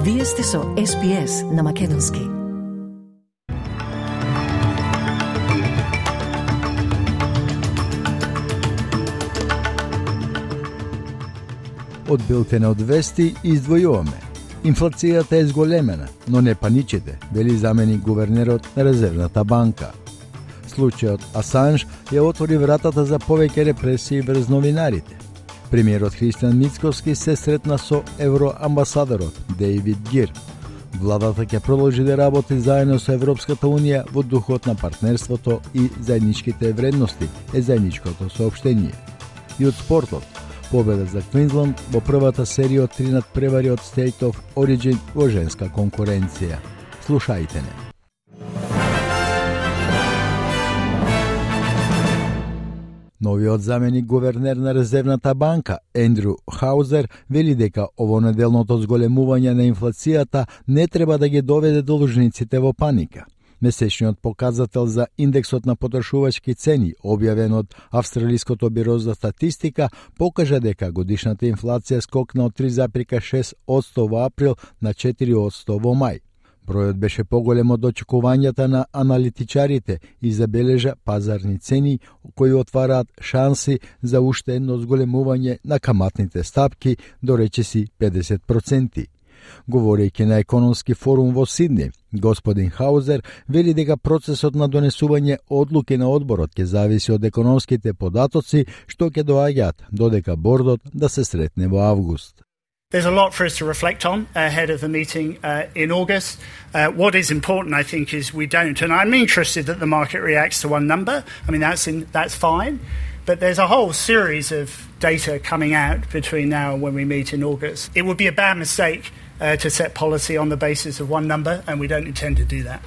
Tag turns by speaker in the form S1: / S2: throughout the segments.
S1: Вие сте со SPS на македонски.
S2: Од билтена од вести издвојуваме. Инфлацијата е зголемена, но не паничете, вели заменик гувернерот на Резервната банка. Случајот Асанж ја отвори вратата за повеќе репресии врз новинарите. Премиерот Христијан Мицкоски се сретна со евроамбасадорот Дейвид Гир. Владата ќе продолжи да работи заедно со Европската унија во духот на партнерството и заедничките вредности, е заедничкото соопштение. И од спортот, победа за Квинсленд во првата серија од 3 надпревари од State of Origin во женска конкуренција. Слушајте не. Новиот заменик гувернер на Резервната банка, Ендрю Хаузер, вели дека овонеделното зголемување на инфлацијата не треба да ги доведе должниците во паника. Месечниот показател за индексот на потрошувачки цени, објавен од Австралиското биро за статистика, покажа дека годишната инфлација скокна од 3,6% во април на 4% во мај. Бројот беше поголем од очекувањата на аналитичарите и забележа пазарни цени кои отвараат шанси за уште едно зголемување на каматните стапки до речиси 50%. Говорејќи на економски форум во Сидни, господин Хаузер вели дека процесот на донесување одлуки на одборот ќе зависи од економските податоци што ќе доаѓаат додека бордот да се сретне во август.
S3: There's a lot for us to reflect on ahead of the meeting in August. What is important, I think, is we don't, and I'm interested that the market reacts to one number. I mean, that's fine. But there's a whole series of data coming out between now and when we meet in August. It would be a bad mistake to set policy on the basis of one number, and we don't intend to do that.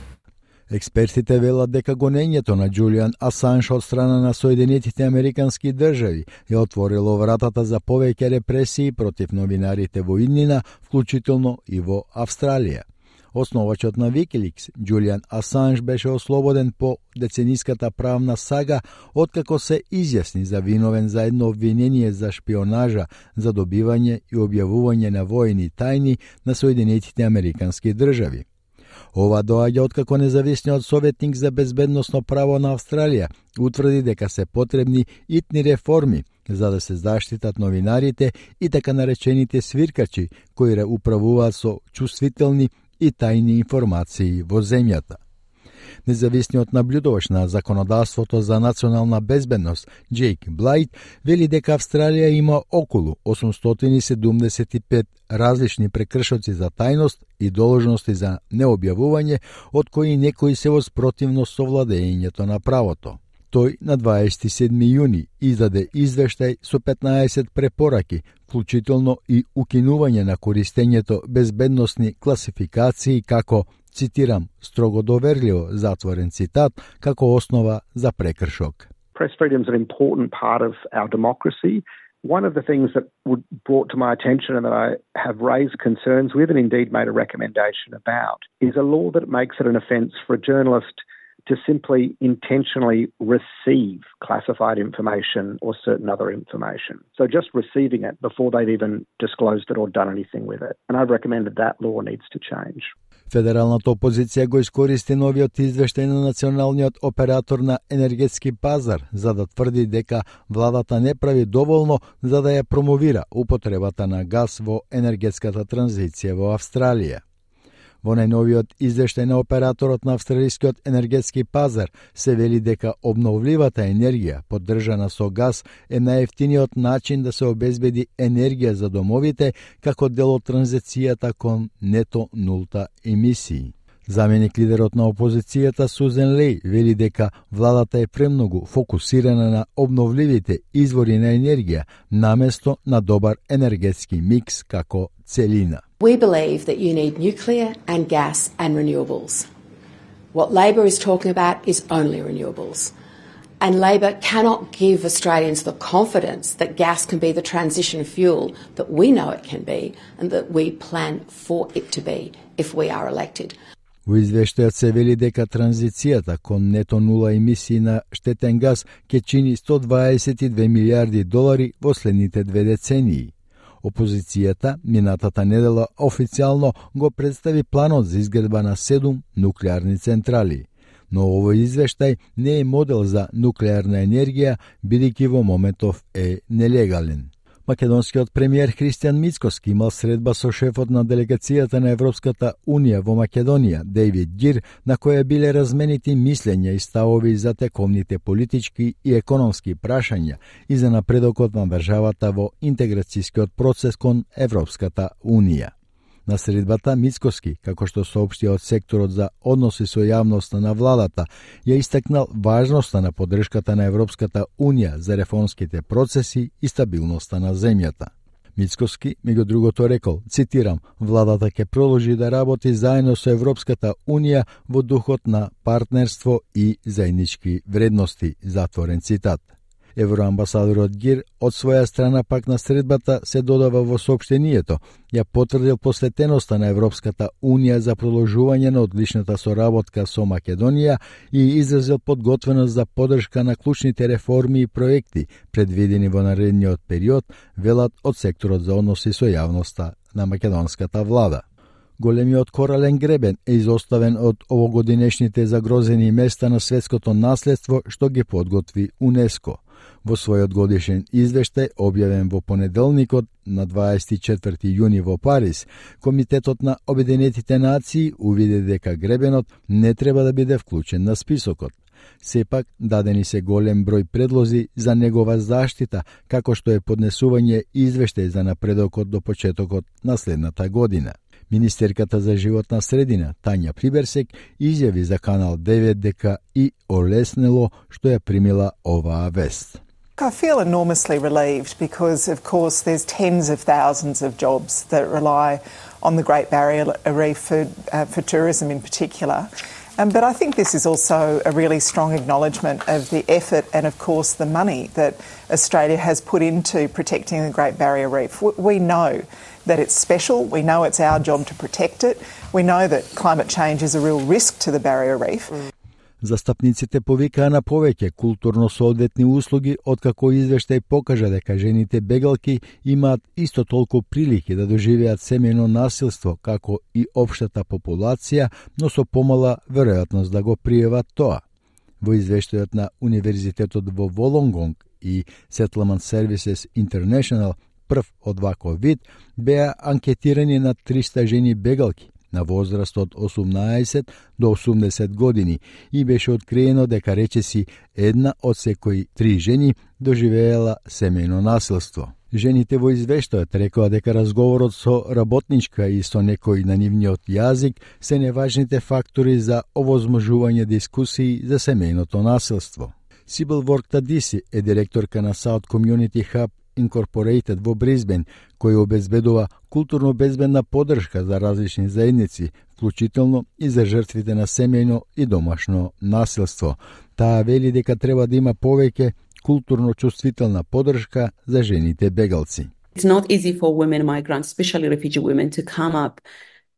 S2: Експертите велат дека гонењето на Џулијан Асанж од страна на Соединетите Американски држави ја отворило вратата за повеќе репресии против новинарите во иднина, вклучително и во Австралија. Основачот на Wikileaks, Џулијан Асанж, беше ослободен по децениската правна сага откако се изјасни за виновен за едно обвинение за шпионажа, за добивање и објавување на воени тајни на Соединетите Американски држави. Ова доаѓа откако независниот советник за безбедносно право на Австралија утврди дека се потребни итни реформи за да се заштитат новинарите и така наречените свиркачи кои управуваат со чувствителни и тајни информации во земјата. Независниот наблюдувач на законодавството за национална безбедност Джейк Блайт вели дека Австралија има околу 875 различни прекршоци за тајност и должности за необјавување, од кои некои се во спротивност со владењето на правото. Тој на 27 јуни издаде извештај со 15 препораки, вклучително и укинување на користењето безбедносни класификации како, цитирам, строго доверливо, затворен цитат, како основа за прекршок.
S4: Press freedom is an important part of our democracy. One of the things that was brought to my attention and that I have raised concerns with and indeed made a recommendation about is a law that makes it an offence for a journalist to simply intentionally receive classified information or certain other information. So just receiving it before they've even disclosed it or done anything with it. And I've recommended that law needs to change.
S2: Федералната опозиција го искористи новиот извештај на националниот оператор на енергетски пазар за да тврди дека владата не прави доволно за да ја промовира употребата на газ во енергетската транзиција во Австралија. Во најновиот извештај на операторот на австралискиот енергетски пазар се вели дека обновливата енергија, поддржана со газ, е најевтиниот начин да се обезбеди енергија за домовите како дел од транзицијата кон нето нулта емисии. Заменик лидерот на опозицијата Сузен Леј вели дека владата е премногу фокусирана на обновливите извори на енергија наместо на добар енергетски микс како целина.
S5: We believe that you need nuclear and gas and renewables. What Labor is talking about is only renewables. And Labor cannot give Australians the confidence that gas can be the transition fuel that we know it can be and that we plan for it to be if we are elected.
S2: Во извештајот се вели дека транзицијата кон нето нула емисии на штетен газ ќе чини $122 милиарди во следните 2 децении. Опозицијата минатата недела официјално го представи планот за изградба на 7 нуклеарни централи. Но овој извештај не е модел за нуклеарна енергија, бидејќи во моментов е нелегален. Македонскиот премиер Христијан Мицкоски имал средба со шефот на делегацијата на Европската Унија во Македонија, Дейвид Гир, на која биле разменити мислења и ставови за тековните политички и економски прашања и за напредокот на државата во интеграцијскиот процес кон Европската Унија. На средбата Мицкоски, како што соопшти од секторот за односи со јавноста на владата, ја истакнал важноста на поддршката на Европската Унија за реформските процеси и стабилноста на земјата. Мицкоски, меѓу другото рекол, цитирам, владата ќе продолжи да работи заедно со Европската Унија во духот на партнерство и заеднички вредности, затворен цитат. Евроамбасадорот Гир од своја страна пак на средбата се додава во соопштението, ја потврдил посветеноста на Европската Унија за продолжување на одличната соработка со Македонија и изразил подготвеност за поддршка на клучните реформи и проекти предвидени во наредниот период, велат од секторот за односи со јавноста на македонската влада. Големиот корален гребен е изоставен од овогодинешните загрозени места на светското наследство што ги подготви УНЕСКО. Во својот годишен извештај, објавен во понеделникот на 24 јуни во Париз, Комитетот на Обединетите нации увиде дека гребенот не треба да биде вклучен на списокот. Сепак, дадени се голем број предлози за негова заштита, како што е поднесување извештај за напредокот до почетокот на следната година. Министерката за животна средина, Тања Приберсек, изјави за Канал 9 дека и олеснело што ја примила оваа вест.
S6: I feel enormously relieved because, of course, there's tens of thousands of jobs that rely on the Great Barrier Reef for tourism in particular. But I think this is also a really strong acknowledgement of the effort and, of course, the money that Australia has put into protecting the Great Barrier Reef. We know that it's special. We know it's our job to protect it. We know that climate change is a real risk to the Barrier Reef.
S2: Застапниците повикаа на повеќе културно-соодветни услуги, откако извештај покажа дека жените бегалки имаат исто толку прилики да доживеат семејно насилство како и општата популација, но со помала веројатност да го пријават тоа. Во извештајот на Универзитетот во Волонгонг и Settlement Services International, прв од ваков вид, беа анкетирани на 300 жени бегалки на возраст од 18 до 80 години и беше откриено дека речиси една од секои 3 жени доживеела семејно насилство. Жените во извештајот рекоа дека разговорот со работничка и со некој на нивниот јазик се неважните фактори за овозможување дискусии за семејното насилство. Сибил Ворктадиси е директорка на South Community Hub Incorporated во Бризбен, кој обезбедува културно безбедна поддршка за различни заедници, вклучително и за жртвите на семејно и домашно насилство. Таа вели дека треба да има повеќе културно чувствителна поддршка за жените бегалци.
S7: It's not easy for women migrants, especially refugee women, to come up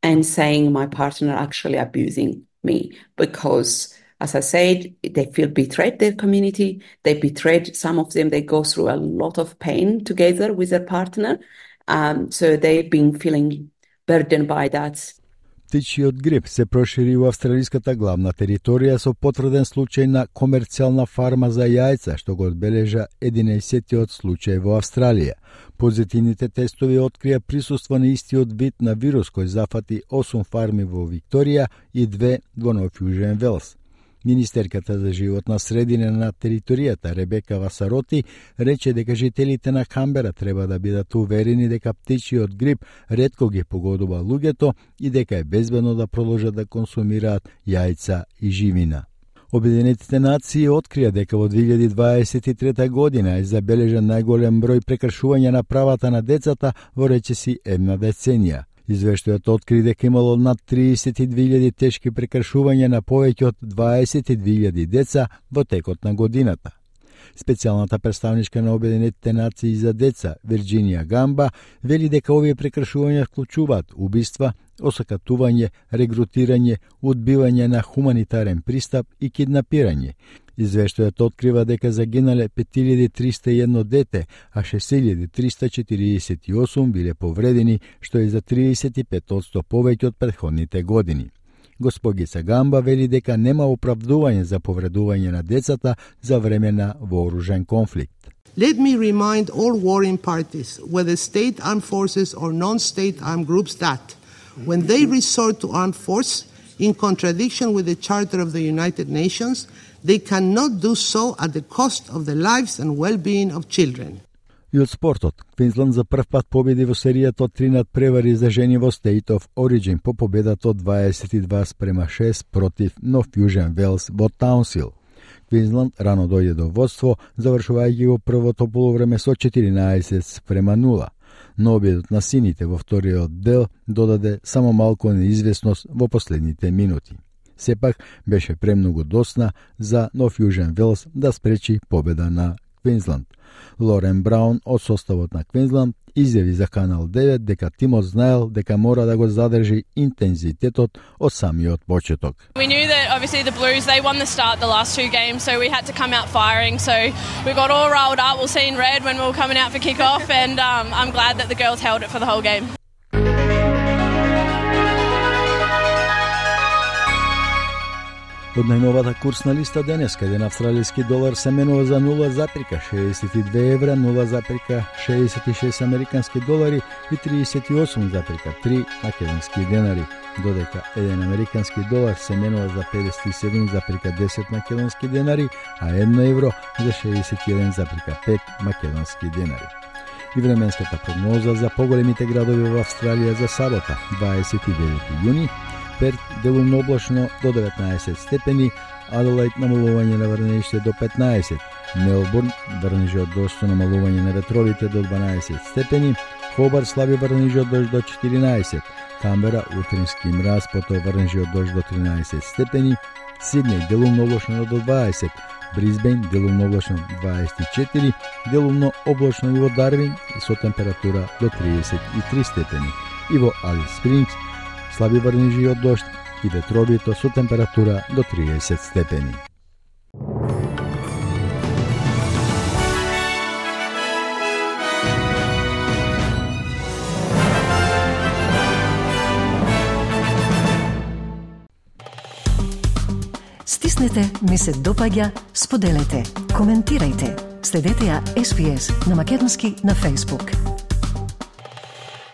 S7: and saying my partner actually abusing me because, as I said, they feel betrayed their community. They betrayed some of them. They go through a lot of pain together with their partner. So they've been feeling burdened by that.
S2: Птичиот грип се прошири во австралиската главна територија со потврден случај на комерцијална фарма за јајца, што го одбележа 11-тиот случај во Австралија. Позитивните тестови открија присуство на истиот вид на вирус кој зафати 8 фарми во Викторија и 2 во Нов Јужен Велс. Министерката за животна средина на територијата Ребека Васароти рече дека жителите на Камбера треба да бидат уверени дека птичиот грип ретко ги погодува луѓето и дека е безбедно да продолжат да консумираат јајца и живина. Обединетите нации открија дека во 2023 година е забележан најголем број прекршувања на правата на децата во речиси една деценија. Извештајот откри дека имало над 32.000 тешки прекршувања на повеќе од 22.000 деца во текот на годината. Специјалната представничка на Обединетите нации за деца Вирџинија Гамба вели дека овие прекршувања вклучуваат убиства, осакатување, регрутирање, одбивање на хуманитарен пристап и киднапирање. Извештајот открива дека загинале 5301 дете, а 6348 биле повредени, што е за 35% повеќе од претходните години. Госпогица Гамба вели дека нема оправдување за повредување на децата за време на вооружен конфликт.
S8: Let me remind all warring parties, whether state armed forces or non-state armed groups, that when they resort to armed force, in contradiction with the Charter of the United Nations, they cannot do so at the cost of the lives and well-being of children.
S2: И од спортот, Квинсланд за прв пат победи во серијата од 3 надпревари за жени во State of Origin по победата од 22-6 против Нов Јужен Велс во Таунсвил. Квинсланд рано дојде до водство, завршувајќи го првото полувреме со 14-0, но обидот на сините во вториот дел додаде само малку неизвестност во последните минути. Сепак беше премногу досна за Нов Јужен Велс да спречи победа на Квинсланд. Лорен Браун од составот на Квинсланд изјави за Канал 9 дека тимот знаел дека мора да го задржи интензитетот од самиот почеток.
S9: We knew that obviously the Blues, they won the start the last two games, so we had to come out firing. So we got all rolled up. We'll see in red when we were coming out for kickoff, and I'm glad that the girls held it for the whole game.
S2: Од најновата курсна листа денеска, еден австралиски долар се менува за 0,62 евра, 0,66 американски долари и 38,3 македонски денари, додека еден американски долар се менува за 57,10 македонски денари, а 1 евро за 61,5 македонски денари. И временската прогноза за поголемите градови во Австралија за сабота, 29 јуни, Перт делумно облачно до 19 степени, Аделаид намалување на врнежите до 15, Мелбурн врнежи од дожд со намалување на ветровите до 12 степени, Хобарт слаби врнежи од дожд до 14, Камбера утрински мраз, потоа врнежи од дожд до 13 степени, Сиднеј делумно облачно до 20, Брисбејн делумно облачно 24, делумно облачно и во Дарвин со температура до 33 степени, и во Алис Спрингс слаби врнежи од дожд и ветровито со температура до 30 степени.
S1: Стиснете, ми се допаѓа, споделете, коментирајте. Следете ја SPS на Македонски на Facebook.